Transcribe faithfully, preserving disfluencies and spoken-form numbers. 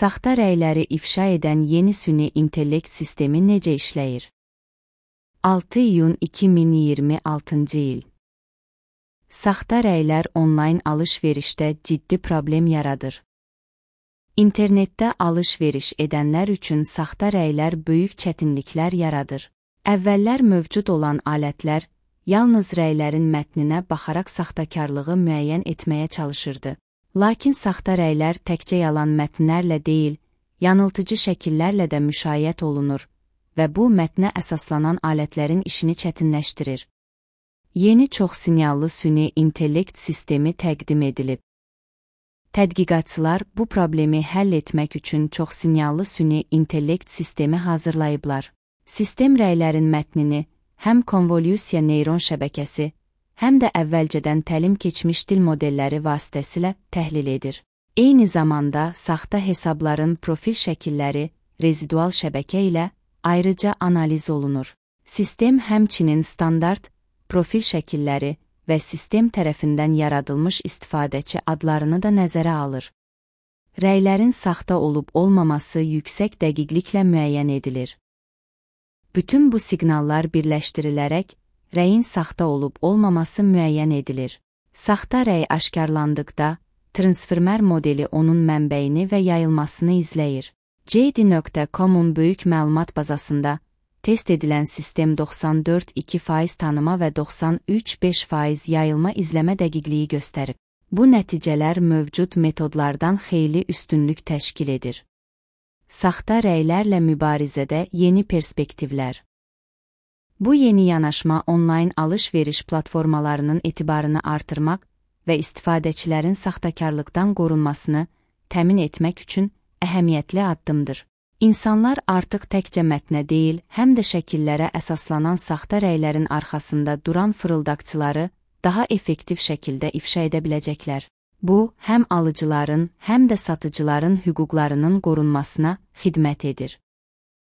Saxta rəyləri ifşa edən yeni süni intellekt sistemi necə işləyir? altı iyun iki min iyirmi altıncı il. Saxta rəylər onlayn alış-verişdə ciddi problem yaradır. İnternetdə alış-veriş edənlər üçün saxta rəylər böyük çətinliklər yaradır. Əvvəllər mövcud olan alətlər yalnız rəylərin mətninə baxaraq saxtakarlığı müəyyən etməyə çalışırdı. Lakin saxta rəylər təkcə yalan mətnlərlə deyil, yanıltıcı şəkillərlə də müşayiət olunur və bu mətnə əsaslanan alətlərin işini çətinləşdirir. Yeni çoxsinyallı süni intellekt sistemi təqdim edilib. Tədqiqatçılar bu problemi həll etmək üçün çoxsinyallı süni intellekt sistemi hazırlayıblar. Sistem rəylərin mətnini həm konvolyusiya neyron şəbəkəsi, həm də əvvəlcədən təlim keçmiş dil modelləri vasitəsilə təhlil edir. Eyni zamanda saxta hesabların profil şəkilləri rezidual şəbəkə ilə ayrıca analiz olunur. Sistem həmçinin standart, profil şəkilləri və sistem tərəfindən yaradılmış istifadəçi adlarını da nəzərə alır. Rəylərin saxta olub-olmaması yüksək dəqiqliklə müəyyən edilir. Bütün bu siqnallar birləşdirilərək, rəyin saxta olub-olmaması müəyyən edilir. Saxta rəy aşkarlandıqda, transformer modeli onun mənbəyini və yayılmasını izləyir. J D nöqtə com-un böyük məlumat bazasında test edilən sistem doxsan dörd nöqtə iki faiz tanıma və doxsan üç nöqtə beş faiz yayılma izləmə dəqiqliyi göstərib. Bu nəticələr mövcud metodlardan xeyli üstünlük təşkil edir. Saxta rəylərlə mübarizədə yeni perspektivlər. Bu yeni yanaşma onlayn alış-veriş platformalarının etibarını artırmaq və istifadəçilərin saxtakarlıqdan qorunmasını təmin etmək üçün əhəmiyyətli addımdır. İnsanlar artıq təkcə mətnə deyil, həm də şəkillərə əsaslanan saxta rəylərin arxasında duran fırıldaqçıları daha effektiv şəkildə ifşa edə biləcəklər. Bu, həm alıcıların, həm də satıcıların hüquqlarının qorunmasına xidmət edir.